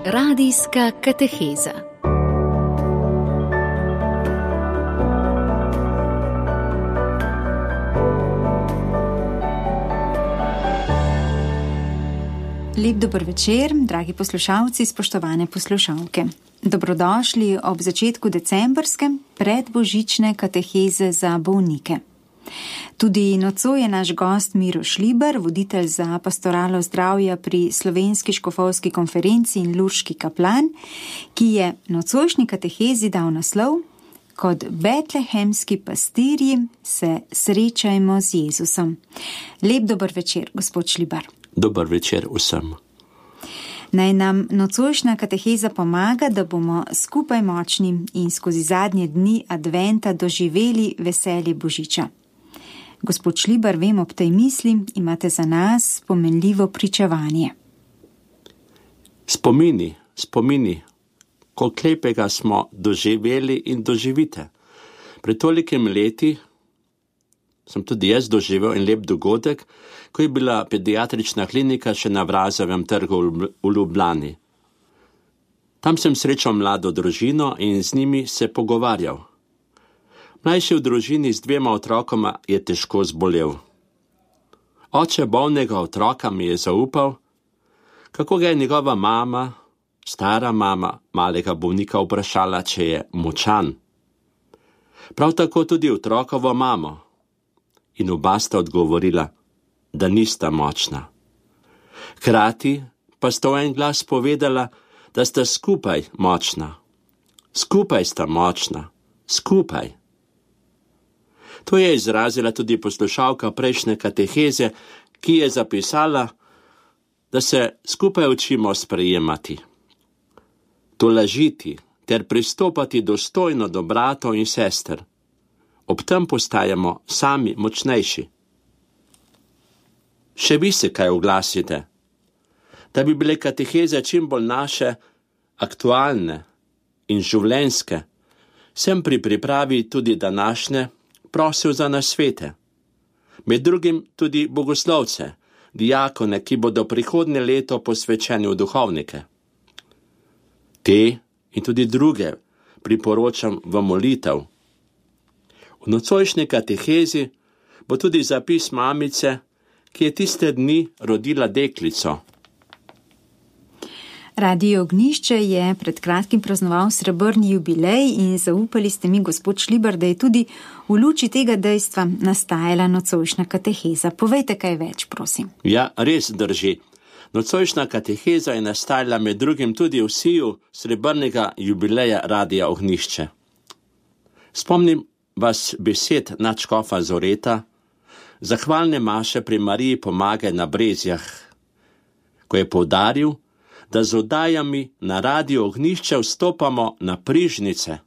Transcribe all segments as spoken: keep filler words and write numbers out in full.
Radijska kateheza. Lep dober večer, dragi poslušalci, spoštovane poslušalke. Dobrodošli ob začetku decembrske predbožične kateheze za bolnike. Tudi nocoj je naš gost Miro Šlibar, voditelj za pastoralo zdravja pri Slovenski škofovski konferenci in lurški kaplan, ki je nocojšnji katehezi dal naslov Kot betlehemski pastirji se srečajmo z Jezusom. Lep dober večer, gospod Šlibar. Dober večer vsem. Naj nam nocojšnja kateheza pomaga, da bomo skupaj močni in skozi zadnje dni adventa doživeli veselje Božiča. Gospod Šlibar, vem, ob tej misli imate za nas pomenljivo pričevanje. Spomini, spomini, koliko lepega smo doživeli in doživite. Pred tolikim leti sem tudi jaz doživel en lep dogodek, ko je bila pediatrična klinika še na Vrazovem trgu v Ljubljani. Tam sem srečal mlado družino in z njimi se pogovarjal. Mlajši v družini z dvema otrokoma je težko zbolel. Oče bolnega otroka mi je zaupal, kako ga je njegova mama, stara mama malega bolnika vprašala, če je močan. Prav tako tudi otrokovo mamo. In oba sta odgovorila, da nista močna. Hkrati pa sta v en glas povedala, da sta skupaj močna. Skupaj sta močna. Skupaj. To je izrazila tudi poslušalka prejšnje kateheze, ki je zapisala, da se skupaj učimo sprejemati, tolažiti ter pristopati dostojno do bratov in sester. Ob tem postajamo sami močnejši. Še vi se kaj oglasite, da bi bile kateheze čim bolj naše, aktualne in življenjske. Sem pri pripravi tudi današnje prosil za nasvete. Med drugim tudi bogoslovce, diakone, ki bodo prihodnje leto posvečeni v duhovnike. Te in tudi druge priporočam v molitev. V nocojšnji katehezi bo tudi zapis mamice, ki je tiste dni rodila deklico. Radio Ognjišče je pred kratkim praznoval srebrni jubilej in zaupali ste mi, gospod Šlibar, da je tudi v luči tega dejstva nastajala nocojšnja kateheza. Povejte kaj več, prosim. Ja, res drži. Nocojšnja kateheza je nastajala med drugim tudi v siju srebrnega jubileja Radia Ognjišče. Spomnim vas besed nadškofa Zoreta, zahvalne maše pri Mariji Pomagaj na Brezjah, ko je poudaril, da z oddajami na Radio Ognjišče vstopamo na prižnice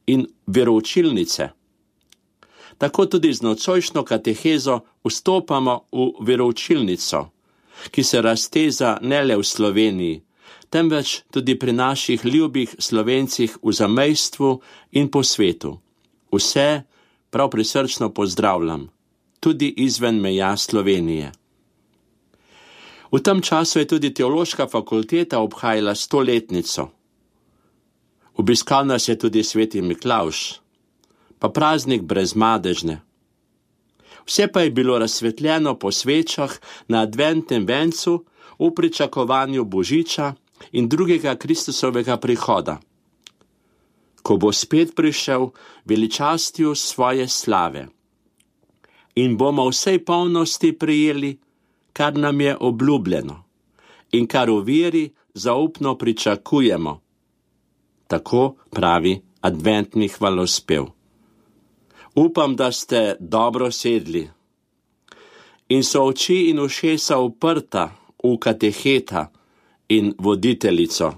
in veroučilnice. Tako tudi z nocojšnjo katehezo vstopamo v veroučilnico, ki se razteza ne le v Sloveniji, temveč tudi pri naših ljubih Slovencih v zamejstvu in po svetu. Vse prav prisrčno pozdravljam, tudi izven meja Slovenije. V tem času je tudi teološka fakulteta obhajala stoletnico. Obiskal nas je tudi sveti Miklavž, pa praznik brezmadežne. Vse pa je bilo razsvetljeno po svečah na adventnem vencu v pričakovanju Božiča in drugega Kristusovega prihoda, ko bo spet prišel veličastju svoje slave in bomo vsej polnosti prijeli, kar nam je obljubljeno in kar v veri zaupno pričakujemo. Tako pravi adventni hvalospev. Upam, da ste dobro sedli in so oči in ušesa uprta v kateheta in voditeljico.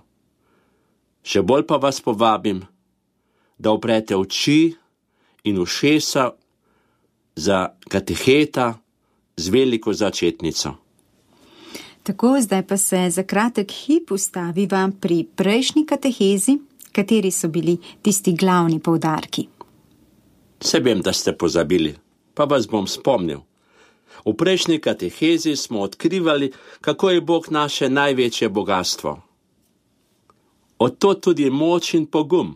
Še bolj pa vas povabim, da uprete oči in ušesa za kateheta z veliko začetnico. Tako, zdaj pa se za kratek hip ustaviva pri prejšnji katehezi, kateri so bili tisti glavni poudarki. Se vem, da ste pozabili, pa vas bom spomnil. V prejšnji katehezi smo odkrivali, kako je Bog naše največje bogatstvo. Odtod tudi moč in pogum,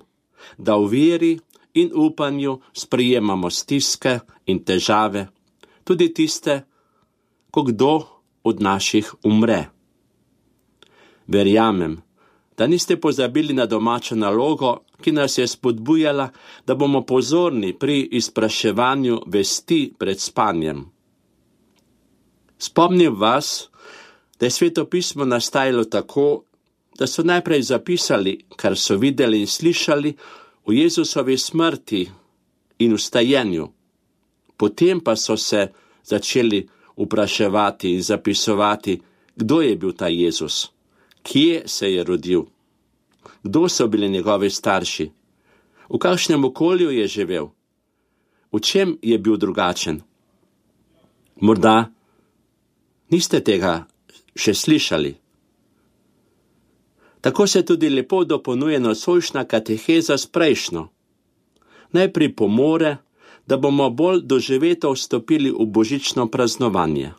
da v veri in upanju sprejemamo stiske in težave, tudi tiste, ko kdo od naših umre. Verjamem, da niste pozabili na domačo nalogo, ki nas je spodbujala, da bomo pozorni pri izpraševanju vesti pred spanjem. Spomnim vas, da je Sveto pismo nastajalo tako, da so najprej zapisali, kar so videli in slišali v Jezusovi smrti in vstajenju. Potem pa so se začeli vpraševati in zapisovati, kdo je bil ta Jezus, kje se je rodil, kdo so bili njegovi starši, v kakšnem okolju je živel, v čem je bil drugačen. Morda niste tega še slišali. Tako se tudi lepo dopolnjuje nocojšnja kateheza s prejšnjo. Naj pripomore, da bomo bolj doživeto vstopili v božično praznovanje.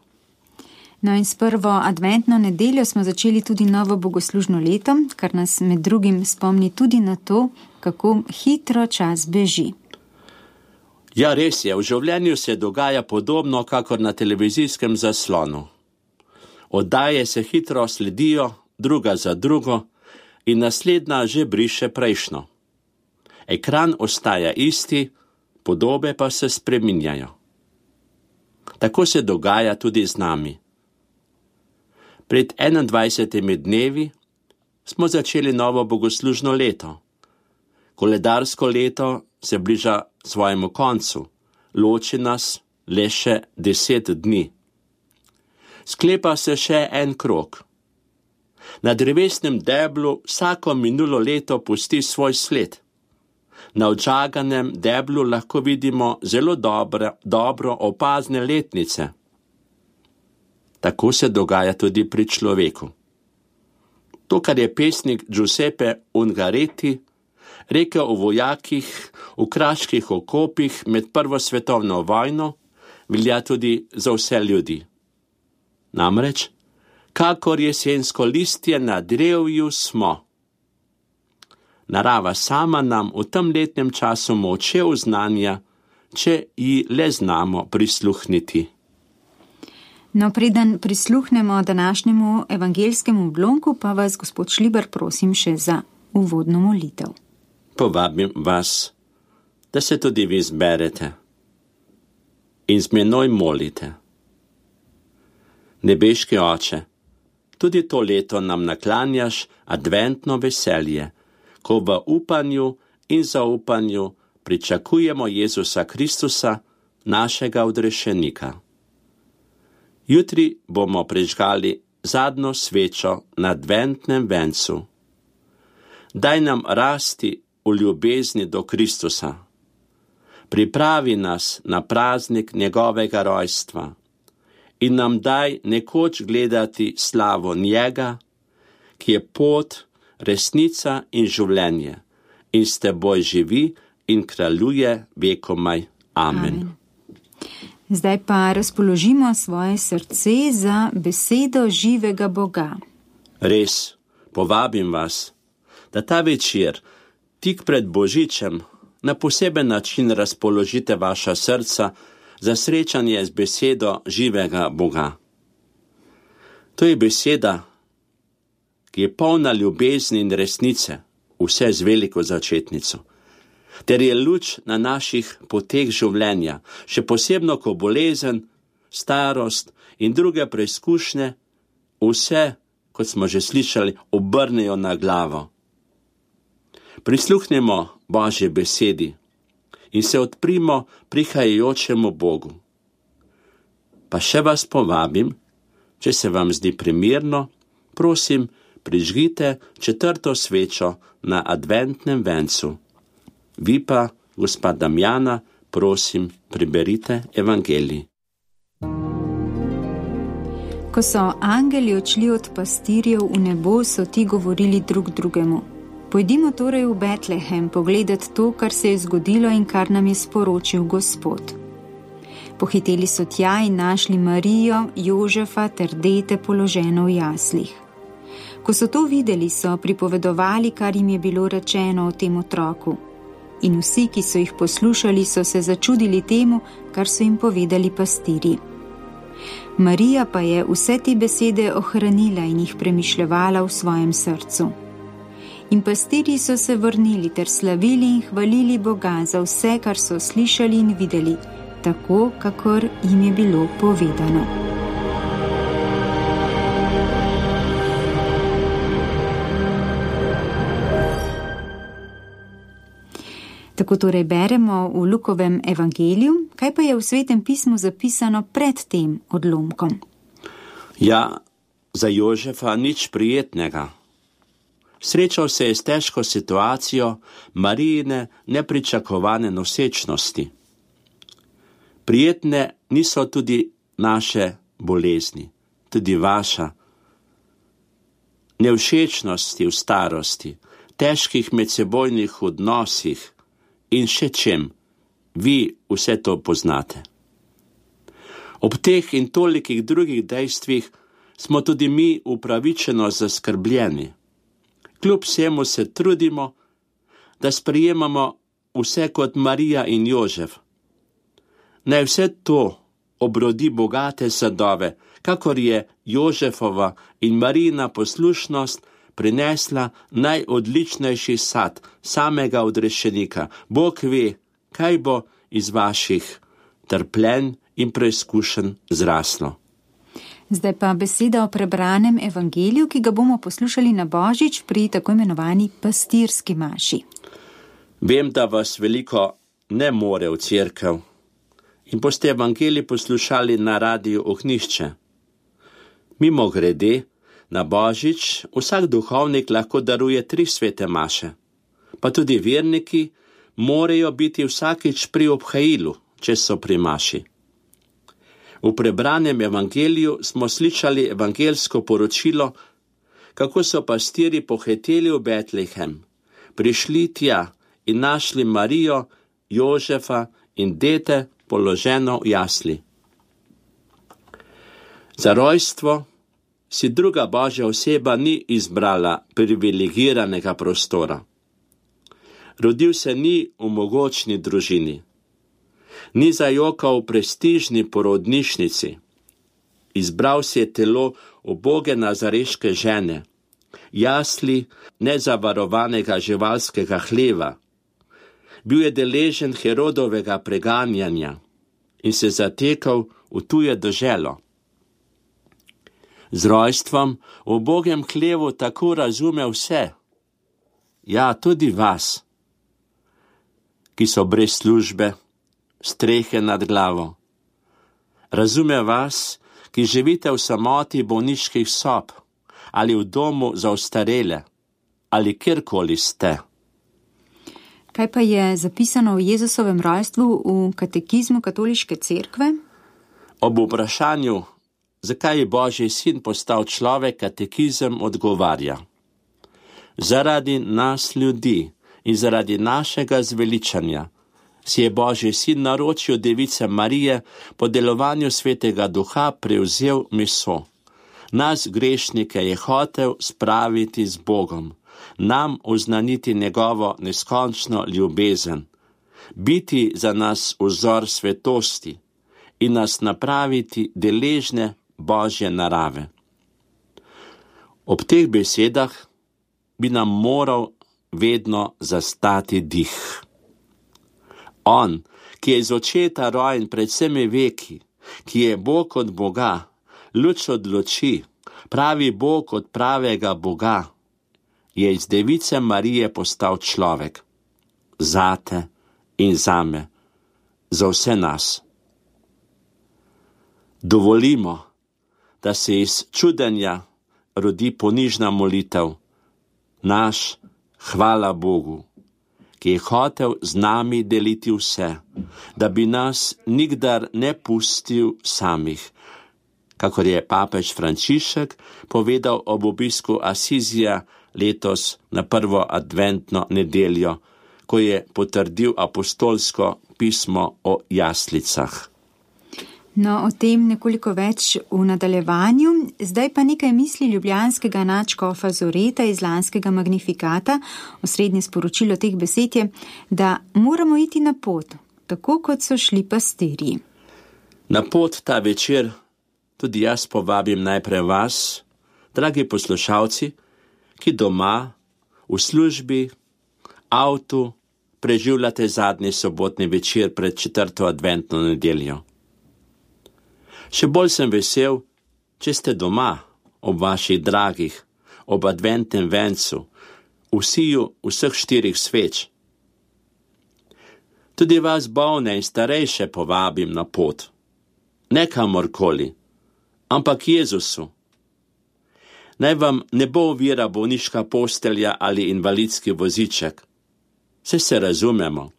No in s prvo adventno nedeljo smo začeli tudi novo bogoslužno leto, kar nas med drugim spomni tudi na to, kako hitro čas beži. Ja, res je, v življenju se dogaja podobno, kakor na televizijskem zaslonu. Oddaje se hitro sledijo, druga za drugo, in naslednja že briše prejšnjo. Ekran ostaja isti, podobe pa se spreminjajo. Tako se dogaja tudi z nami. Pred enaindvajsetimi dnevi smo začeli novo bogoslužno leto. Koledarsko leto se bliža svojemu koncu, loči nas le še deset dni. Sklepa se še en krog. Na drevesnem deblu vsako minulo leto pusti svoj sled. Na odžaganem deblu lahko vidimo zelo dobre, dobro opazne letnice. Tako se dogaja tudi pri človeku. To, kar je pesnik Giuseppe Ungaretti rekel o vojakih v kraških okopih med prvo svetovno vojno, velja tudi za vse ljudi. Namreč, kakor jesensko listje na drevju smo. Narava sama nam v tem letnem času moče oznanja, če ji le znamo prisluhniti. No, preden prisluhnemo današnjemu evangeljskemu blonku, pa vas, gospod Šlibar, prosim še za uvodno molitev. Povabim vas, da se tudi vi zberete in z menoj molite. Nebeški Oče, tudi to leto nam naklanjaš adventno veselje, ko v upanju in zaupanju pričakujemo Jezusa Kristusa, našega odrešenika. Jutri bomo prižgali zadnjo svečo na adventnem vencu. Daj nam rasti v ljubezni do Kristusa. Pripravi nas na praznik njegovega rojstva in nam daj nekoč gledati slavo njega, ki je pot, resnica in življenje, in s teboj živi in kraljuje vekomaj. Amen. Amen. Zdaj pa razpoložimo svoje srce za besedo živega Boga. Res, povabim vas, da ta večer, tik pred Božičem, na poseben način razpoložite vaša srca za srečanje z besedo živega Boga. To je beseda, ki je polna ljubezni in resnice, vse z veliko začetnico, ter je luč na naših poteh življenja, še posebno, ko bolezen, starost in druge preizkušnje vse, kot smo že slišali, obrnejo na glavo. Prisluhnemo Božji besedi in se odprimo prihajajočemu Bogu. Pa še vas povabim, če se vam zdi primerno, prosim, prižgite četrto svečo na adventnem vencu. Vi pa, gospa Damjana, prosim, preberite evangelij. Ko so angeli odšli od pastirjev v nebo, so ti govorili drug drugemu: Pojdimo torej v Betlehem pogledat to, kar se je zgodilo in kar nam je sporočil Gospod. Pohiteli so tja in našli Marijo, Jožefa ter dete položeno v jaslih. Ko so to videli, so pripovedovali, kar jim je bilo rečeno o tem otroku. In vsi, ki so jih poslušali, so se začudili temu, kar so jim povedali pastirji. Marija pa je vse te besede ohranila in jih premišljevala v svojem srcu. In pastirji so se vrnili ter slavili in hvalili Boga za vse, kar so slišali in videli, tako, kakor jim je bilo povedano. Tako torej beremo v Lukovem evangeliju, kaj pa je v Svetem pismu zapisano pred tem odlomkom? Ja, za Jožefa nič prijetnega. Srečal se je s težko situacijo Marijine nepričakovane nosečnosti. Prijetne niso tudi naše bolezni, tudi vaša. Nevšečnosti v starosti, težkih medsebojnih odnosih, in še čem, vi vse to poznate. Ob teh in tolikih drugih dejstvih smo tudi mi upravičeno zaskrbljeni. Kljub vsemu se trudimo, da sprejemamo vse kot Marija in Jožef. Naj vse to obrodi bogate sadove, kakor je Jožefova in Marijina poslušnost prinesla najodličnejši sad samega odrešenika. Bog ve, kaj bo iz vaših trpljenj in preizkušenj zraslo. Zdaj pa beseda o prebranem evangeliju, ki ga bomo poslušali na Božič pri tako imenovani pastirski maši. Vem, da vas veliko ne more v cerkev in boste evangelij poslušali na Radiu Ognjišče. Mimo grede, na Božič vsak duhovnik lahko daruje tri svete maše, pa tudi verniki morajo biti vsakič pri obhajilu, če so pri maši. V prebranem evangeliju smo slišali evangelsko poročilo, kako so pastirji pohiteli v Betlehem, prišli tja in našli Marijo, Jožefa in dete položeno v jasli. Za rojstvo si druga Božja oseba ni izbrala privilegiranega prostora. Rodil se ni v mogočni družini, ni zajokal v prestižni porodnišnici. Izbral si je telo uboge nazareške žene, jasli nezavarovanega živalskega hleva. Bil je deležen Herodovega preganjanja in se zatekal v tuje deželo. Z rojstvom v ubogem hlevu tako razume vse, ja, tudi vas, ki so brez službe, strehe nad glavo. Razume vas, ki živite v samoti bolniških sob ali v domu za ostarele ali kjerkoli ste. Kaj pa je zapisano o Jezusovem rojstvu v katekizmu katoliške cerkve? Ob vprašanju, zakaj je Božji sin postal človek, katekizem odgovarja: zaradi nas ljudi in zaradi našega zveličanja si je Božji sin naročil device Marije po delovanju svetega duha prevzel meso. Nas grešnike je hotel spraviti z Bogom, nam oznaniti njegovo neskončno ljubezen, biti za nas vzor svetosti in nas napraviti deležne Božje narave. Ob teh besedah bi nam moral vedno zastati dih. On, ki je iz očeta rojen pred vsemi veki, ki je Bog od Boga, luč od luči, pravi Bog od pravega Boga, je iz device Marije postal človek. Zate in zame, za vse nas. Dovolimo, da se iz čudenja rodi ponižna molitev. Naš hvala Bogu, ki je hotel z nami deliti vse, da bi nas nikdar ne pustil samih, kakor je papež Frančišek povedal ob obisku Asizija letos na prvo adventno nedeljo, ko je potrdil apostolsko pismo o jaslicah. No, o tem nekoliko več v nadaljevanju. Zdaj pa nekaj misli ljubljanskega nadškofa Zoreta iz lanskega Magnifikata. Osrednje sporočilo teh besed je, da moramo iti na pot, tako kot so šli pastirji. Na pot ta večer tudi jaz povabim najprej vas, dragi poslušalci, ki doma, v službi, avtu, preživljate zadnji sobotni večer pred četrto adventno nedeljo. Še bolj sem vesel, če ste doma, ob vaših dragih, ob adventnem vencu, v siju vseh štirih sveč. Tudi vas bolne in starejše povabim na pot, ne kamorkoli, ampak Jezusu. Naj vam ne bo ovira bolniška postelja ali invalidski voziček. Saj se razumemo.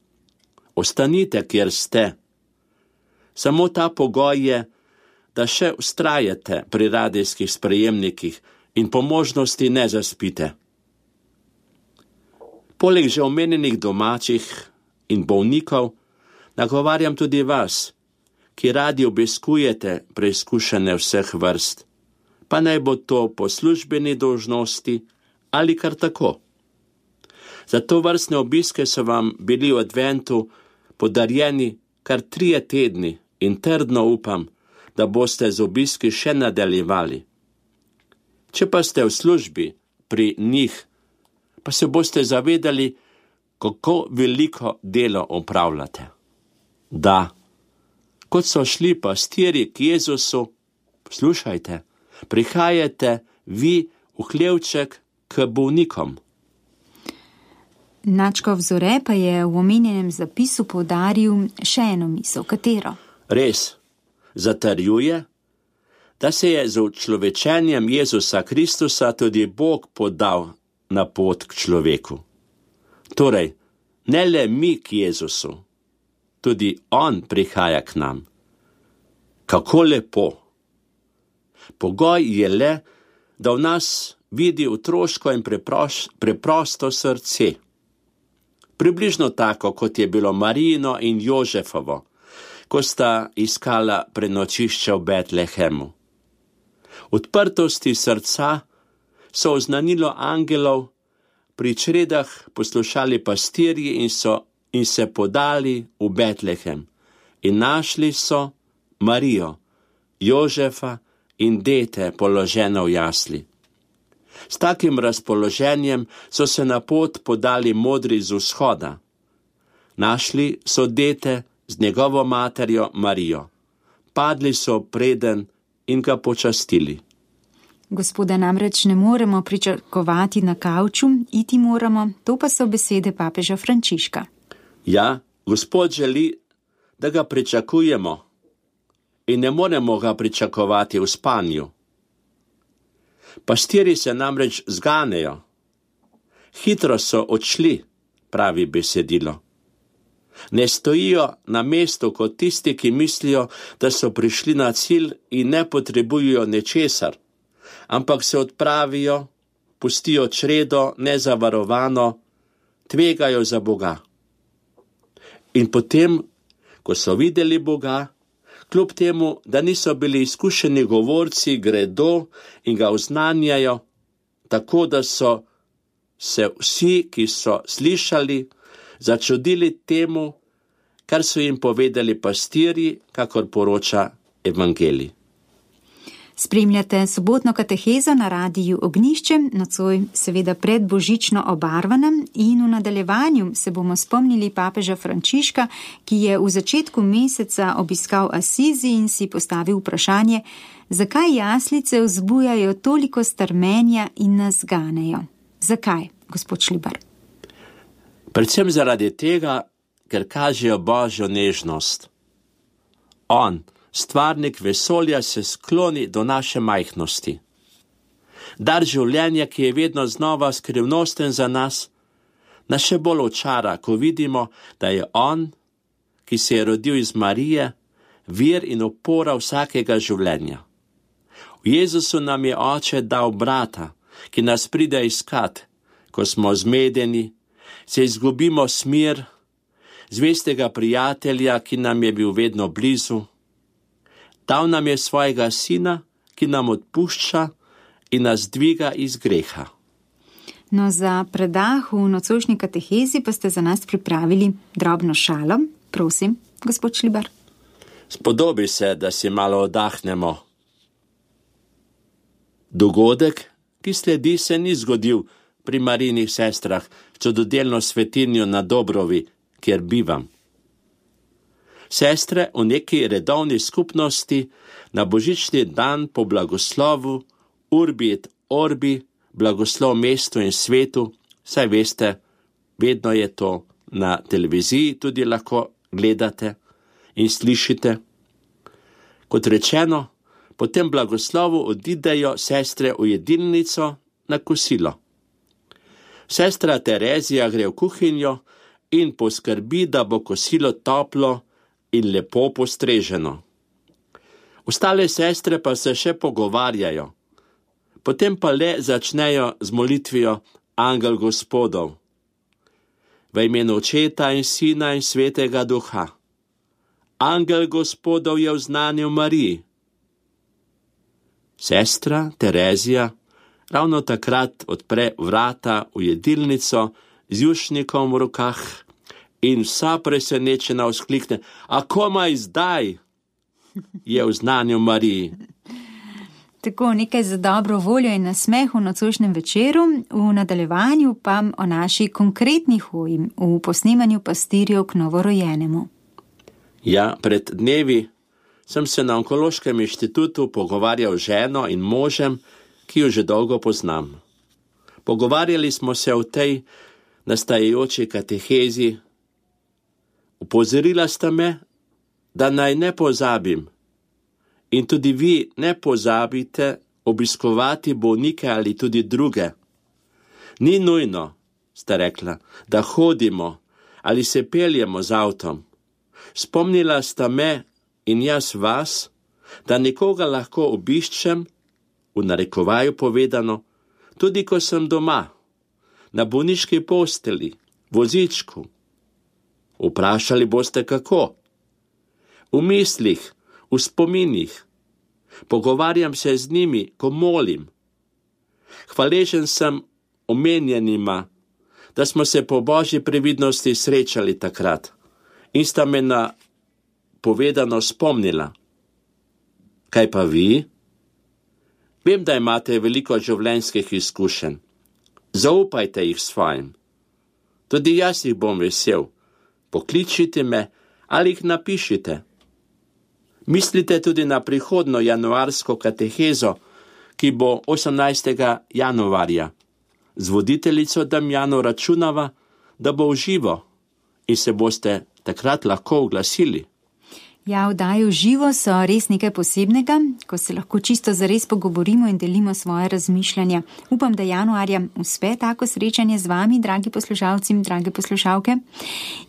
Ostanite, kjer ste. Samo ta pogoj je, da še vztrajate pri radijskih sprejemnikih in po možnosti ne zaspite. Poleg že omenjenih domačih in bolnikov, nagovarjam tudi vas, ki radi obiskujete preizkušene vseh vrst, pa naj bo to po službeni dolžnosti ali kar tako. Za to vrstne obiske so vam bili v adventu podarjeni kar trije tedni in trdno upam, da boste z obiski še nadaljevali. Če pa ste v službi pri njih, pa se boste zavedali, kako veliko delo opravljate. Da, kot so šli pastirji k Jezusu, poslušajte, prihajate vi v hlevček k bolnikom. Nadškof Zore pa je v omenjenem zapisu poudaril še eno misel, katero? Res, zatrjuje, da se je z učlovečenjem Jezusa Kristusa tudi Bog podal na pot k človeku. Torej, ne le mi k Jezusu, tudi On prihaja k nam. Kako lepo! Pogoj je le, da v nas vidi otroško in preproš, preprosto srce. Približno tako, kot je bilo Marijino in Jožefovo, ko sta iskala prenočišče v Betlehemu. Odprtosti srca so oznanilo angelov pri čredah poslušali pastirji in, so, in se podali v Betlehem in našli so Marijo, Jožefa in dete položeno v jasli. S takim razpoloženjem so se na pot podali modri z vzhoda. Našli so dete z njegovo materjo Marijo. Padli so preden in ga počastili. Gospoda namreč ne moremo pričakovati na kavču, iti moramo, to pa so besede papeža Frančiška. Ja, Gospod želi, da ga pričakujemo in ne moremo ga pričakovati v spanju. Pastirji se namreč zganejo. Hitro so odšli, pravi besedilo. Ne stojijo na mestu kot tisti, ki mislijo, da so prišli na cilj in ne potrebujejo nečesar, ampak se odpravijo, pustijo čredo nezavarovano, tvegajo za Boga. In potem, ko so videli Boga, kljub temu, da niso bili izkušeni govorci, gredo in ga oznanjajo, tako da so se vsi, ki so slišali, začudili temu, kar so jim povedali pastirji, kakor poroča evangelij. Spremljate sobotno katehezo na radiju Ognjišče, nocoj seveda predbožično obarvana, in v nadaljevanju se bomo spomnili papeža Frančiška, ki je v začetku meseca obiskal Asizi in si postavil vprašanje, zakaj jaslice vzbujajo toliko strmenja in nas ganejo. Zakaj, gospod Šlibar? Predvsem zaradi tega, ker kažejo Božjo nežnost. On, stvarnik vesolja, se skloni do naše majhnosti. Dar življenja, ki je vedno znova skrivnosten za nas, nas še bolj očara, ko vidimo, da je On, ki se je rodil iz Marije, vir in opora vsakega življenja. V Jezusu nam je Oče dal brata, ki nas pride iskat, ko smo zmedeni, se izgubimo smer, zvestega prijatelja, ki nam je bil vedno blizu. Dal nam je svojega sina, ki nam odpušča in nas dviga iz greha. No, za predah v nocojšnji katehezi pa ste za nas pripravili drobno šalo. Prosim, gospod Šlibar. Spodobi se, da si malo oddahnemo. Dogodek, ki sledi, se ni zgodil pri Marijinih sestrah, čudodelno svetinjo na Dobrovi, kjer bivam. Sestre v neki redovni skupnosti na božični dan po blagoslovu Urbi et Orbi, blagoslov mestu in svetu, saj veste, vedno je to na televiziji, tudi lahko gledate in slišite. Kot rečeno, po tem blagoslovu odidejo sestre v jedilnico na kosilo. Sestra Terezija gre v kuhinjo in poskrbi, da bo kosilo toplo in lepo postreženo. Ostale sestre pa se še pogovarjajo. Potem pa le začnejo z molitvijo Angel Gospodov. V imenu Očeta in Sina in Svetega Duha. Angel Gospodov je vznanil Mariji. Sestra Terezija ravno takrat odpre vrata v jedilnico z jušnikom v rokah in vsa presenečena vzklikne: A komaj zdaj je vznanil Mariji. Tako nekaj za dobro voljo in nasmeh v nocojšnjem večeru, v nadaljevanju pa o naši konkretni hoji v posnemanju pastirjev k novorojenemu. Ja, pred dnevi sem se na Onkološkem inštitutu pogovarjal z ženo in možem, ki jo že dolgo poznam. Pogovarjali smo se o tej nastajajoči katehezi. Upozorila sta me, da naj ne pozabim. In tudi vi ne pozabite obiskovati bolnike ali tudi druge. Ni nujno, sta rekla, da hodimo ali se peljemo z avtom. Spomnila sta me in jaz vas, da nekoga lahko obiščem, v narekovaju povedano, tudi ko sem doma, na bolniški posteli, vozičku. Vprašali boste kako? V mislih, v spominih. Pogovarjam se z njimi, ko molim. Hvaležen sem omenjenima, da smo se po božji previdnosti srečali takrat in sta me na povedano spomnila. Kaj pa vi? Vem, da imate veliko življenjskih izkušenj. Zaupajte jih svojim. Tudi jaz jih bom vesel. Pokličite me ali jih napišite. Mislite tudi na prihodno januarsko katehezo, ki bo osemnajstega januarja. Z voditeljico Damjano računava, da bo v živo in se boste takrat lahko oglasili. Ja, vdaje v živo so res nekaj posebnega, ko se lahko čisto zares pogovorimo in delimo svoje razmišljanja. Upam, da januarja uspe tako srečanje z vami, dragi poslušalci in drage poslušalke.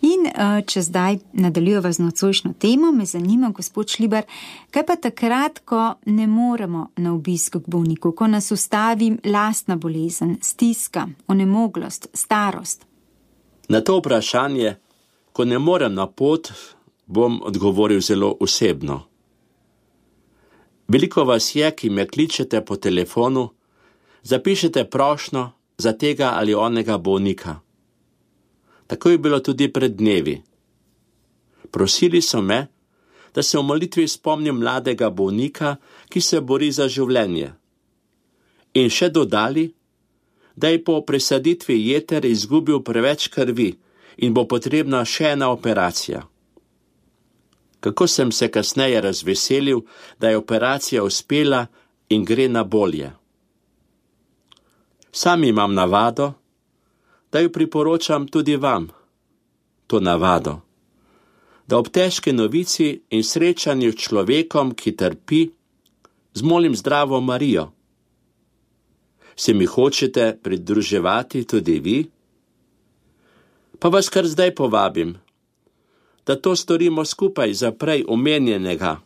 In če zdaj nadaljujeva z nocojšnjo temo, me zanima, gospod Šlibar, kaj pa takrat, ko ne moremo na obisk k bolniku, ko nas ustavi lastna bolezen, stiska, onemoglost, starost? Na to vprašanje, ko ne morem na pot, bom odgovoril zelo osebno. Veliko vas je, ki me kličete po telefonu, zapišete prošnjo za tega ali onega bolnika. Tako je bilo tudi pred dnevi. Prosili so me, da se v molitvi spomnim mladega bolnika, ki se bori za življenje. In še dodali, da je po presaditvi jeter izgubil preveč krvi in bo potrebna še ena operacija. Kako sem se kasneje razveselil, da je operacija uspela in gre na bolje. Sam imam navado, da jo priporočam tudi vam, to navado, da ob težki novici in srečanju s človekom, ki trpi, zmolim zdravo Marijo. Se mi hočete pridruževati tudi vi? Pa vas kar zdaj povabim, da to storimo skupaj za prej omenjenega,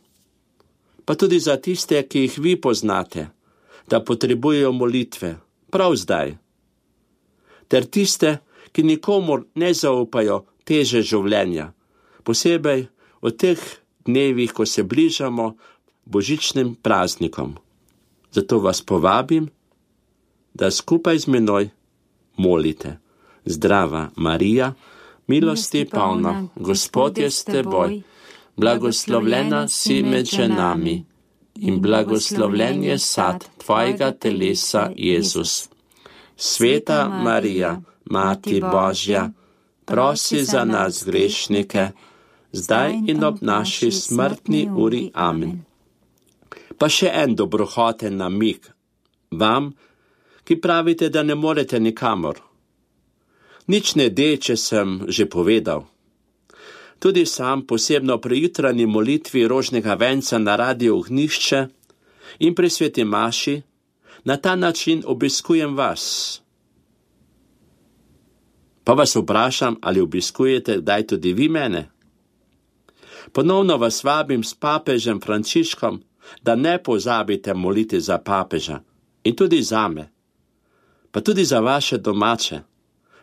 pa tudi za tiste, ki jih vi poznate, da potrebujejo molitve, prav zdaj. Ter tiste, ki nikomur ne zaupajo teže življenja, posebej v teh dnevih, ko se bližamo božičnim praznikom. Zato vas povabim, da skupaj z menoj molite. Zdrava Marija, milosti polna, Gospod je s teboj, blagoslovljena si med ženami in blagoslovljen je sad tvojega telesa, Jezus. Sveta Marija, Mati Božja, prosi za nas grešnike, zdaj in ob naši smrtni uri. Amen. Pa še en dobrohoten namig vam, ki pravite, da ne morete nikamor. Nič ne de, če sem že povedal. Tudi sam posebno pri jutranji molitvi rožnega venca na Radiu Ognjišče in pri sveti maši na ta način obiskujem vas. Pa vas vprašam, ali obiskujete kdaj tudi vi mene? Ponovno vas vabim s papežem Frančiškom, da ne pozabite moliti za papeža in tudi zame, pa tudi za vaše domače,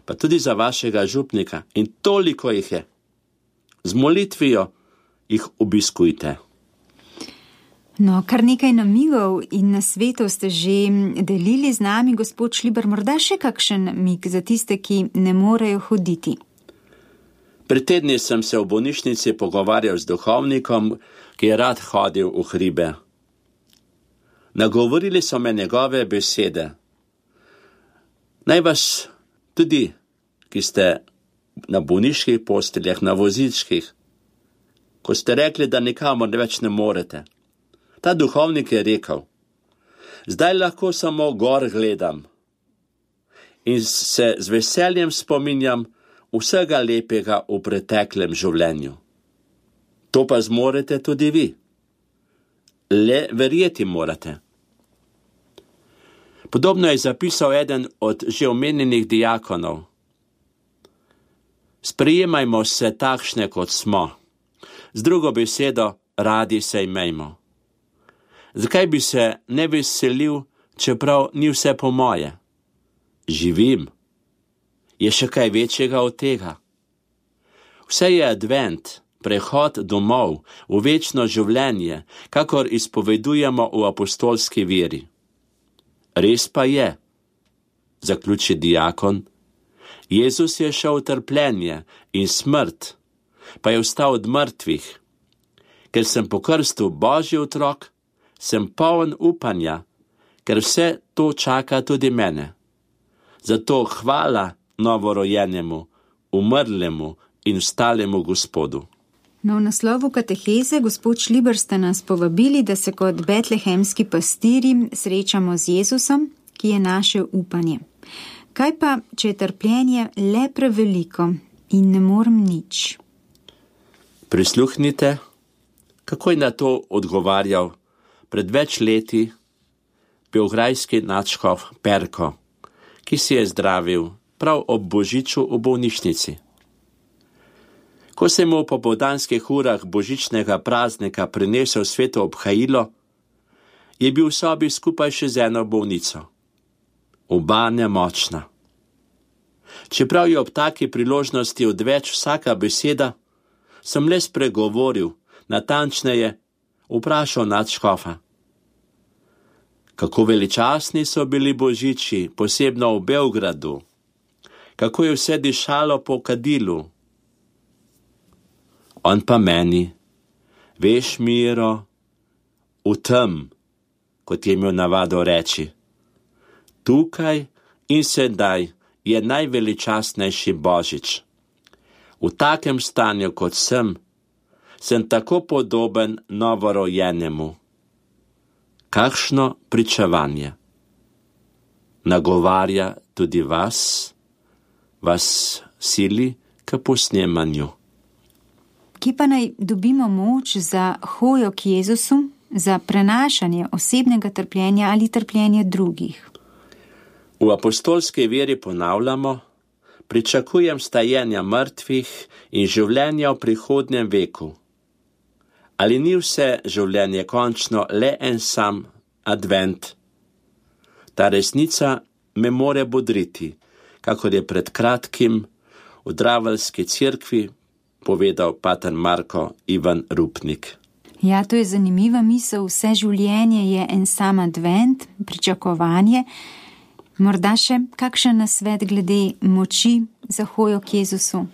pa tudi za vašega župnika in toliko jih je. Z molitvijo jih obiskujte. No, kar nekaj namigov in nasvetov ste že delili z nami, gospod Šliber, morda še kakšen mig za tiste, ki ne morejo hoditi. Pred tedni sem se v bolnišnici pogovarjal z duhovnikom, ki je rad hodil v hribe. Nagovorili so me njegove besede. Naj vas tudi, ki ste na bolniških posteljah, na vozičkih, ko ste rekli, da nikamor več ne morete. Ta duhovnik je rekel, zdaj lahko samo gor gledam in se z veseljem spominjam vsega lepega v preteklem življenju. To pa zmorete tudi vi. Le verjeti morate. Podobno je zapisal eden od že omenjenih diakonov. Sprejemajmo se takšne, kot smo. Z drugo besedo, radi se imejmo. Zakaj bi se ne veselil, čeprav ni vse po moje? Živim. Je še kaj večjega od tega? Vse je advent, prehod domov v večno življenje, kakor izpovedujemo v apostolski veri. Res pa je, zaključi diakon, Jezus je šel v trpljenje in smrt, pa je vstal od mrtvih. Ker sem po krstu Božji otrok, sem poln upanja, ker vse to čaka tudi mene. Zato hvala novorojenemu, umrlemu in vstalemu Gospodu. No, v naslovu kateheze, gospod Šliber, ste nas povabili, da se kot betlehemski pastiri srečamo z Jezusom, ki je naše upanje. Kaj pa, če je trpljenje le preveliko in ne morem nič? Prisluhnite, kako je na to odgovarjal pred več leti beograjski nadškof Perko, ki si je zdravil prav ob božiču v bolnišnici. Ko se mu po popoldanskih urah božičnega praznika prinesel sveto obhajilo, je bil v sobi skupaj še z eno bolnico. Oba nemočna. Čeprav je ob taki priložnosti odveč vsaka beseda, sem le spregovoril, natančneje vprašal nadškofa. Kako veličastni so bili božiči, posebno v Beogradu. Kako je vse dišalo po kadilu. On pa meni, veš, Miro, v tem, kot je imel navado reči. Tukaj in sedaj je najveličastnejši božič. V takem stanju, kot sem, sem tako podoben novorojenemu. Kakšno pričevanje. Nagovarja tudi vas, vas sili k posnemanju. Kje pa naj dobimo moč za hojo k Jezusu, za prenašanje osebnega trpljenja ali trpljenja drugih? V apostolski veri ponavljamo, pričakujem stajenja mrtvih in življenja v prihodnjem veku. Ali ni vse življenje končno le en sam advent? Ta resnica me more bodriti, kakor je pred kratkim v Draveljski cerkvi povedal pater Marko Ivan Rupnik. Ja, to je zanimiva misel. Vse življenje je en sam advent, pričakovanje. Morda še kakšen nasvet glede moči za hojo k Jezusu?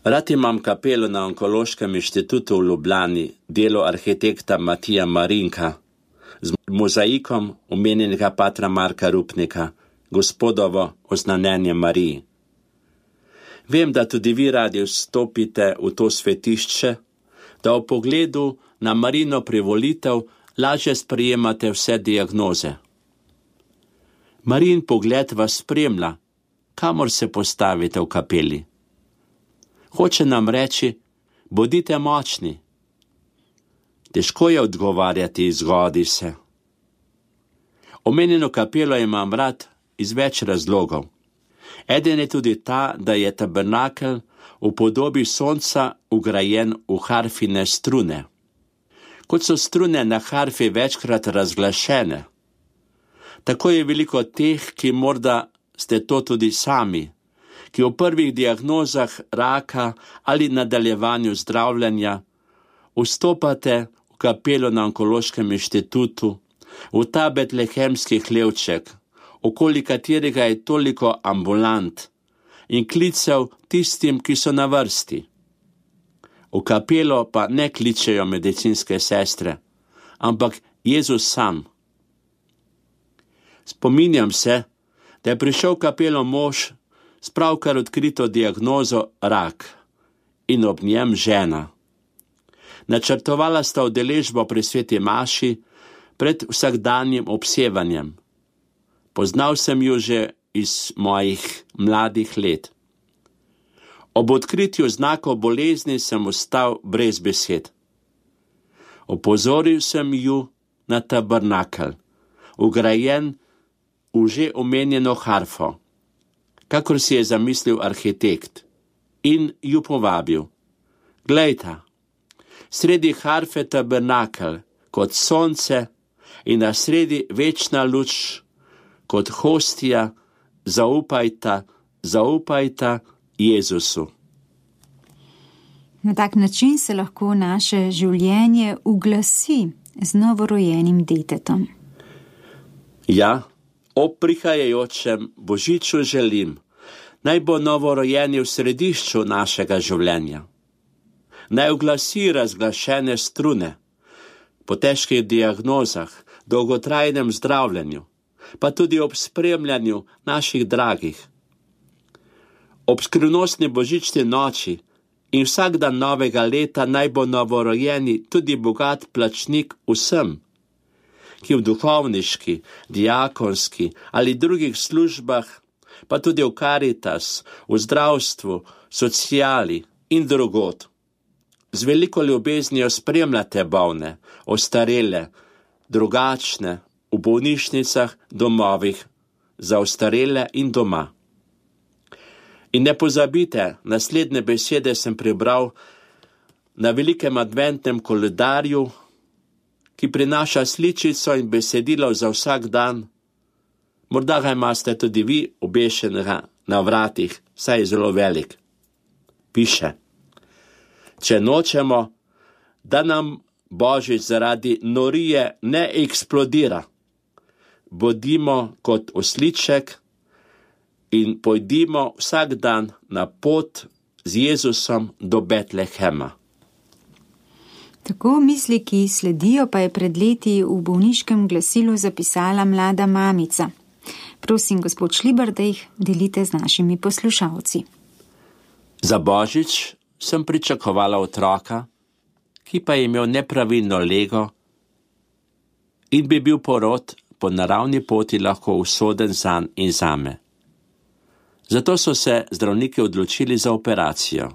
Rad imam kapelo na Onkološkem inštitutu v Ljubljani, delo arhitekta Matija Marinka, z mozaikom omenjenega patra Marka Rupnika, Gospodovo oznanjenje Mariji. Vem, da tudi vi radi vstopite v to svetišče, da v pogledu na Marino privolitev lažje sprejemate vse diagnoze. Marijin pogled vas spremlja, kamor se postavite v kapeli. Hoče nam reči, bodite močni. Težko je odgovarjati, zgodi se. Omenjeno kapelo imam rad iz več razlogov. Eden je tudi ta, da je tabernakel v podobi sonca vgrajen v harfine strune. Kot so strune na harfi večkrat razglašene, tako je veliko teh, ki morda ste to tudi sami, ki v prvih diagnozah raka ali nadaljevanju zdravljenja vstopate v kapelo na Onkološkem inštitutu, v ta betlehemski hlevček, okoli katerega je toliko ambulant in klicev tistim, ki so na vrsti. V kapelo pa ne kličejo medicinske sestre, ampak Jezus sam. Spominjam se, da je prišel v kapelo mož s pravkar odkrito diagnozo rak in ob njem žena. Načrtovala sta udeležbo pri sveti maši pred vsakdanjim obsevanjem. Poznal sem jo že iz mojih mladih let. Ob odkritju znakov bolezni sem ostal brez besed. Opozoril sem ju na tabernakel, vgrajen v že omenjeno harfo, kakor si je zamislil arhitekt, in ju povabil. Glejta, sredi harfe tabernakel kot sonce in na sredi večna luč kot hostija, zaupajta, zaupajta Jezusu. Na tak način se lahko naše življenje uglasi z novorojenim detetom. Ja, ob prihajajočem božiču želim, naj bo novorojeni v središču našega življenja. Naj uglasi razglašene strune, po težkih diagnozah, dolgotrajnem zdravljenju, pa tudi ob spremljanju naših dragih. Ob skrivnostni božični noči in vsak dan novega leta naj bo novorojeni tudi bogat plačnik vsem, ki v duhovniški, diakonski ali drugih službah, pa tudi v Karitas, v zdravstvu, sociali in drugod, z veliko ljubeznijo spremljate bolne, ostarele, drugačne, v bolnišnicah, domovih, za ostarele in doma. In ne pozabite, naslednje besede sem prebral na velikem adventnem koledarju, ki prinaša sličico in besedilo za vsak dan. Morda ga imate tudi vi obešenega na vratih, saj je zelo velik. Piše: če nočemo, da nam Božič zaradi norije ne eksplodira, bodimo kot osliček in pojdimo vsak dan na pot z Jezusom do Betlehema. Tako misli, ki sledijo, pa je pred leti v bolniškem glasilu zapisala mlada mamica. Prosim, gospod Šlibar, da jih delite z našimi poslušalci. Za Božič sem pričakovala otroka, ki pa je imel nepravilno lego in bi bil porod po naravni poti lahko usoden zanj in zame. Zato so se zdravniki odločili za operacijo.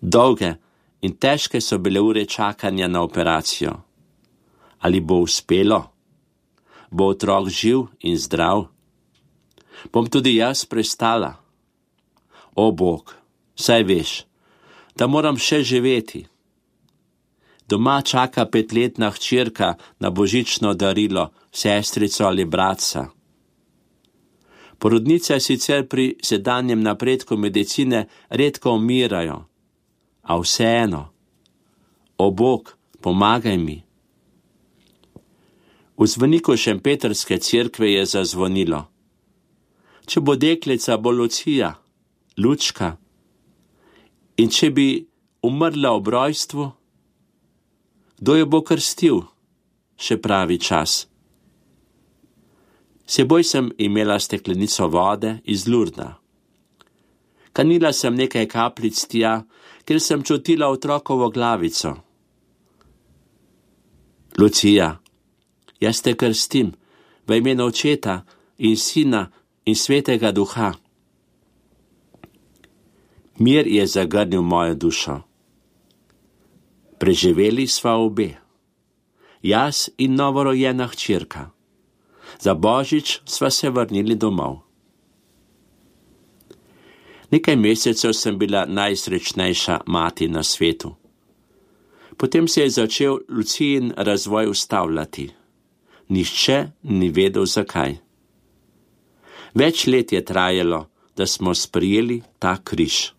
Dolge in težke so bile ure čakanja na operacijo. Ali bo uspelo? Bo otrok živ in zdrav? Bom tudi jaz prestala? O Bog, saj veš, da moram še živeti. Doma čaka petletna hčerka na božično darilo, sestrico ali bratca. Porodnice sicer pri sedanjem napredku medicine redko umirajo, a vseeno. O Bog, pomagaj mi. V zvoniku šempetrske cerkve je zazvonilo. Če bo deklica, bo Lucija, Lučka. In če bi umrla ob rojstvu, kdo jo bo krstil, še pravi čas. Seboj sem imela steklenico vode iz Lurda. Kanila sem nekaj kapljic tja, ker sem čutila otrokovo glavico. Lucija, jaz te krstim v imenu Očeta in Sina in Svetega Duha. Mir je zagrnil mojo dušo. Preživeli sva obe, jaz in novorojena hčerka. Za Božič sva se vrnili domov. Nekaj mesecev sem bila najsrečnejša mati na svetu. Potem se je začel Lucijin razvoj ustavljati. Nihče ni vedel zakaj. Več let je trajalo, da smo sprejeli ta križ.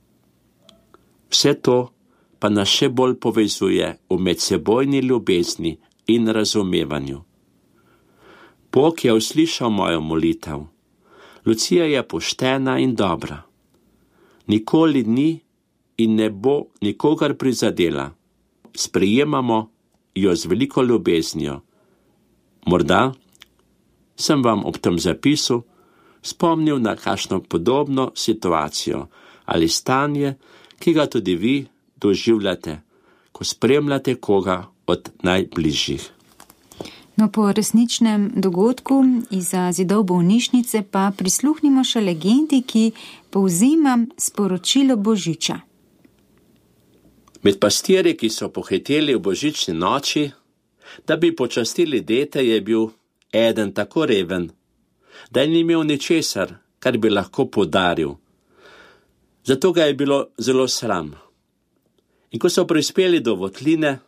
Vse to pa nas še bolj povezuje v medsebojni ljubezni in razumevanju. Bog je uslišal mojo molitev. Lucija je poštena in dobra. Nikoli ni in ne bo nikogar prizadela. Sprejemamo jo z veliko ljubeznijo. Morda sem vam ob tem zapisu spomnil na kakšno podobno situacijo ali stanje, ki ga tudi vi doživljate, ko spremljate koga od najbližjih. No, po resničnem dogodku izza zidov bolnišnice pa prisluhnimo še legendi, ki povzema sporočilo Božiča. Med pastirji, ki so pohiteli v božični noči, da bi počastili dete, je bil eden tako reven, da ni imel ničesar, kar bi lahko podaril. Zato ga je bilo zelo sram. In ko so prispeli do votline,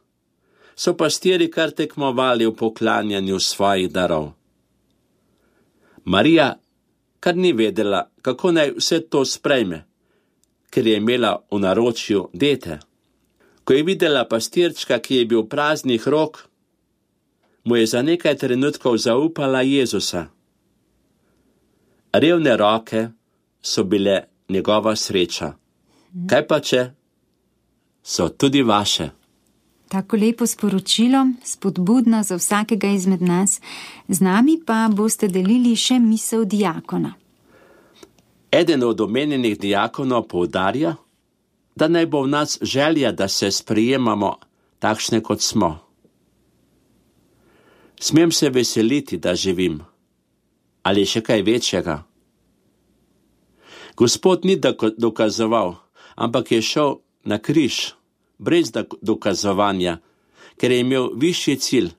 so pastirji kar tekmovali v poklanjanju svojih darov. Marija kar ni vedela, kako naj vse to sprejme, ker je imela v naročju dete. Ko je videla pastirčka, ki je bil praznih rok, mu je za nekaj trenutkov zaupala Jezusa. Revne roke so bile njegova sreča. Kaj pa če so tudi vaše? Tako lepo sporočilo, spodbudno za vsakega izmed nas. Z nami pa boste delili še misel diakona. Eden od omenjenih diakonov poudarja, da naj bo v nas želja, da se sprejemamo takšne, kot smo. Smem se veseliti, da živim. Ali še kaj večjega? Gospod ni dokazoval, ampak je šel na križ, brez dokazovanja, ker je imel višji cilj,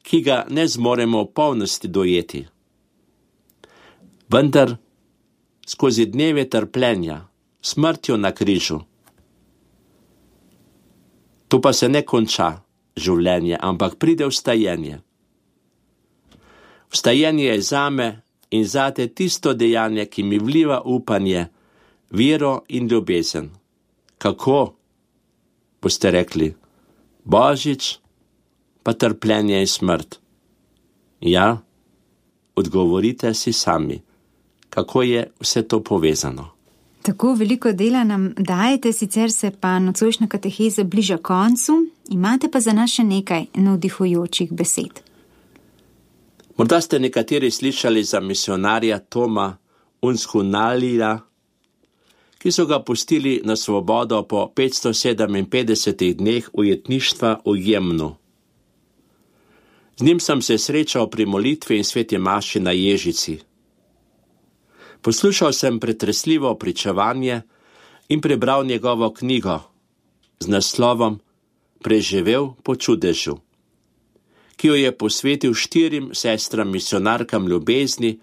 ki ga ne zmoremo v polnosti dojeti. Vendar skozi dneve trpljenja, smrtjo na križu. To pa se ne konča življenje, ampak pride vstajenje. Vstajenje je zame in zate tisto dejanje, ki mi vliva upanje, vero in ljubezen. Kako? Boste rekli, Božič, pa trpljenje in smrt. Ja, odgovorite si sami, kako je vse to povezano. Tako veliko dela nam dajete, sicer se pa nocojšnja kateheza bliža koncu, imate pa za nas še nekaj navdihujočih besed. Morda ste nekateri slišali za misionarja Toma Unzhunalila, ki so ga pustili na svobodo po petsto sedeminpetdesetih dneh ujetništva v Jemnu. Z njim sem se srečal pri molitvi in sveti maši na Ježici. Poslušal sem pretresljivo pričevanje in prebral njegovo knjigo z naslovom Preživel po čudežu, ki jo je posvetil štirim sestram misionarkam ljubezni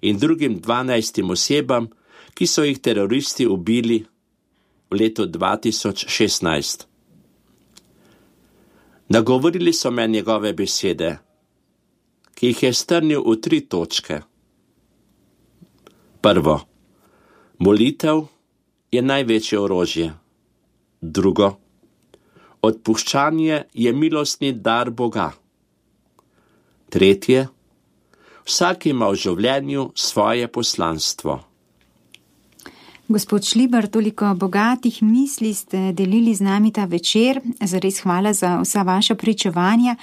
in drugim dvanajstim osebam, ki so jih teroristi ubili v letu dva tisoč šestnajst. Nagovorili so me njegove besede, ki jih je strnil v tri točke. Prvo, molitev je največje orožje. Drugo, Odpuščanje je milostni dar Boga. Tretje, vsak ima v življenju svoje poslanstvo. Gospod Šlibar, toliko bogatih misli ste delili z nami ta večer, zares hvala za vsa vaša pričevanja.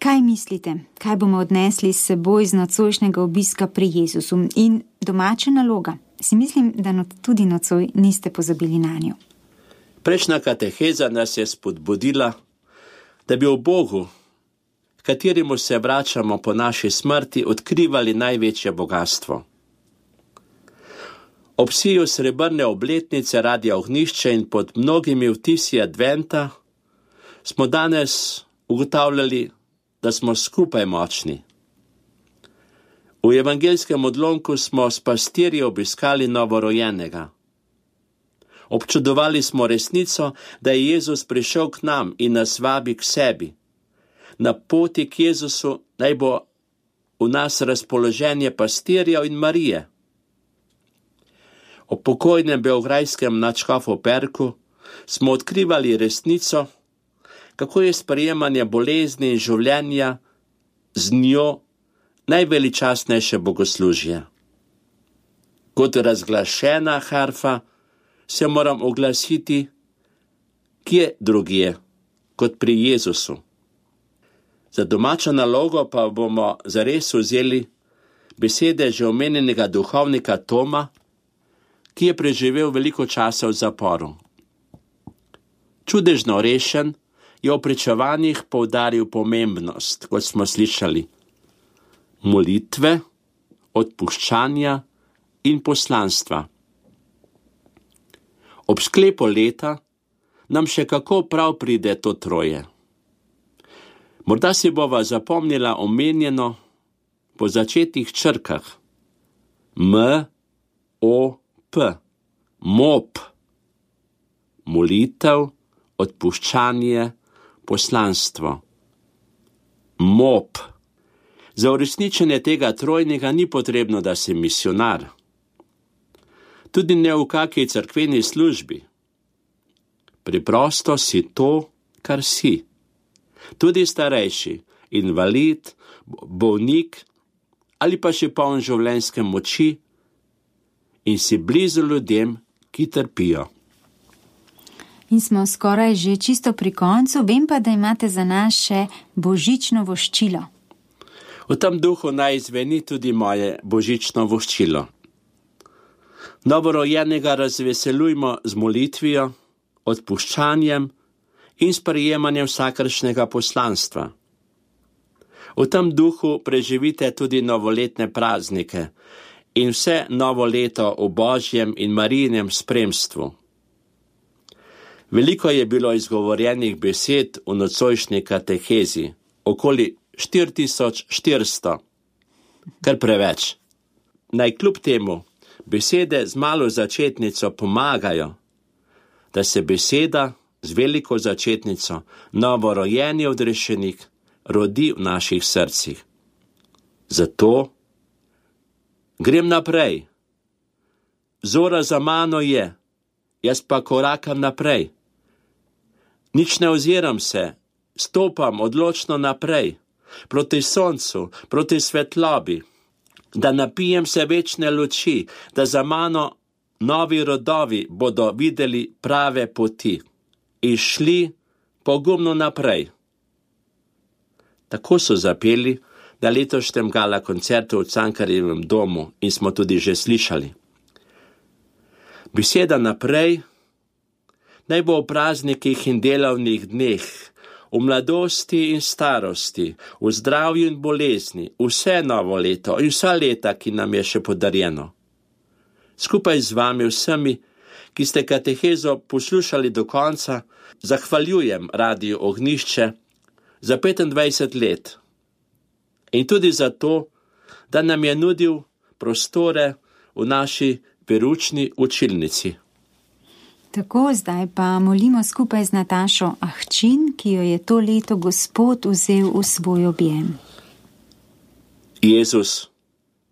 Kaj mislite, kaj bomo odnesli s seboj z nocojšnjega obiska pri Jezusu? In domača naloga, si mislim, da no, tudi nocoj niste pozabili na njo. Prejšnja kateheza nas je spodbudila, da bi v Bogu, kateremu se vračamo po naši smrti, odkrivali največje bogatstvo. Ob siju srebrne obletnice Radia Ognjišče in pod mnogimi vtisi adventa smo danes ugotavljali, da smo skupaj močni. V evangeljskem odlomku smo s pastirji obiskali novorojenega. Občudovali smo resnico, da je Jezus prišel k nam in nas vabi k sebi. Na poti k Jezusu naj bo v nas razpoloženje pastirjev in Marije. O pokojnem beograjskem nadškofu Perku smo odkrivali resnico, kako je sprejemanje bolezni in življenja z njo najveličastnejše bogoslužje. Kot razglašena harfa se moram oglasiti kje drugje, kot pri Jezusu. Za domačo nalogo pa bomo zares vzeli besede že omenjenega duhovnika Toma, ki je preživel veliko časa v zaporu. Čudežno rešen je v pričevanjih poudaril pomembnost, kot smo slišali, molitve, odpuščanja in poslanstva. Ob sklepu leta nam še kako prav pride to troje. Morda si bova zapomnila omenjeno po začetnih črkah M, O, P, mop, molitev, odpuščanje, poslanstvo. Mop. Za uresničenje tega trojnega ni potrebno, da si misionar. Tudi ne v kakej cerkveni službi. Preprosto si to, kar si. Tudi starejši, invalid, bolnik ali pa še poln življenjske moči in si blizu ljudem, ki trpijo. In smo skoraj že čisto pri koncu, vem pa, da imate za nas še božično voščilo. V tem duhu naj zveni tudi moje božično voščilo. Novorojenega razveselujmo z molitvijo, odpuščanjem in sprejemanjem vsakršnega poslanstva. V tem duhu preživite tudi novoletne praznike in vse novo leto v Božjem in Marijinem spremstvu. Veliko je bilo izgovorjenih besed v nocojšnji katehezi, okoli štiri tisoč štiristo, kar preveč. Naj kljub temu besede z malo začetnico pomagajo, da se beseda z veliko začetnico, novorojeni odrešenik, rodi v naših srcih. Zato grem naprej. Zora za mano je, jaz pa korakam naprej. Nič ne oziram se, stopam odločno naprej, proti soncu, proti svetlobi, da napijem se večne luči, da za mano novi rodovi bodo videli prave poti in šli pogumno naprej. Tako so zapeli na letošnjem gala koncertu v Cankarjevem domu in smo tudi že slišali. Beseda naprej naj bo v praznikih in delovnih dneh, v mladosti in starosti, v zdravju in bolezni, vse novo leto in vsa leta, ki nam je še podarjeno. Skupaj z vami vsemi, ki ste katehezo poslušali do konca, zahvaljujem Radiu Ognjišče za petindvajset let in tudi za to, da nam je nudil prostore v naši peručni učilnici. Tako, zdaj pa molimo skupaj z Natašo Ahčin, ki jo je to leto Gospod vzel v svoj objem. Jezus,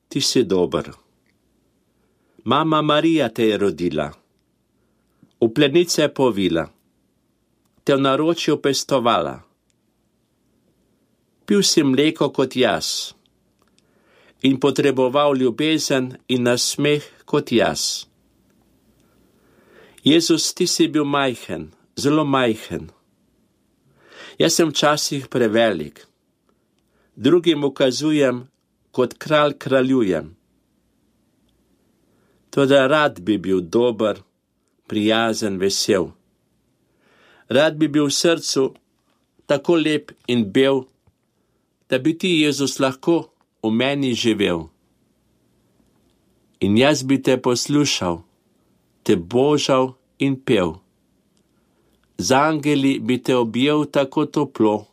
ti si dober. Mama Marija te je rodila, v plenice povila. te v naročju pestovala. Pil si mleko kot jaz in potreboval ljubezen in nasmeh kot jaz. Jezus, ti si bil majhen, zelo majhen. Jaz sem včasih prevelik, drugim ukazujem, kot kralj kraljujem. Toda rad bi bil dober, prijazen, vesel. Rad bi bil v srcu tako lep in bel, da bi ti, Jezus, lahko v meni živel. In jaz bi te poslušal, te božal in pel. Z angeli bi te objel tako toplo,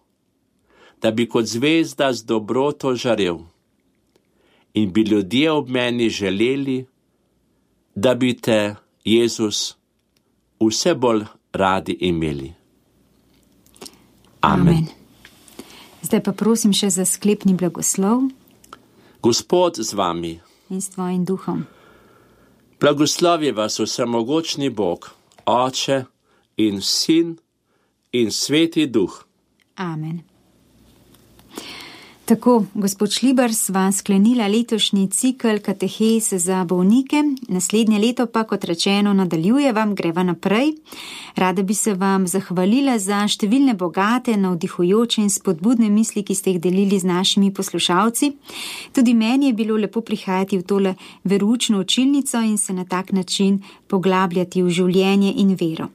da bi kot zvezda z dobroto žarel. In bi ljudje ob meni želeli, da bi te, Jezus, vse bolj radi imeli. Amen. Amen. Zdaj pa prosim še za sklepni blagoslov. Gospod z vami. In s tvojim duhom. Blagoslovi vas vsemogočni Bog, Oče in Sin in Sveti Duh. Amen. Tako, gospod Šlibar, sva sklenila letošnji cikel katehez za bolnike. Naslednje leto pa, kot rečeno, nadaljujevam, greva naprej. Rada bi se vam zahvalila za številne bogate, navdihujoče in spodbudne misli, ki ste jih delili z našimi poslušalci. Tudi meni je bilo lepo prihajati v tole veroučno učilnico in se na tak način poglabljati v življenje in vero.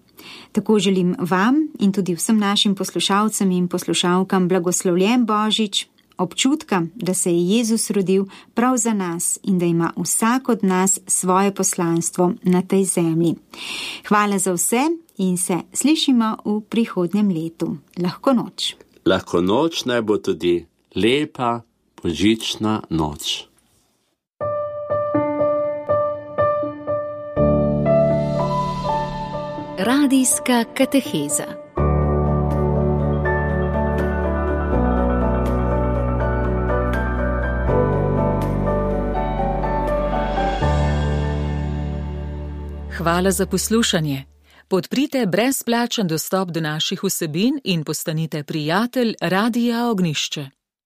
Tako želim vam in tudi vsem našim poslušalcem in poslušalkam blagoslovljen Božič, občutka, da se je Jezus rodil prav za nas in da ima vsak od nas svoje poslanstvo na tej zemlji. Hvala za vse in se slišimo v prihodnjem letu. Lahko noč. Lahko noč naj bo tudi lepa božična noč. Radijska kateheza. Hvala za poslušanje. Podprite brezplačen dostop do naših vsebin in postanite prijatelj Radia Ognjišče.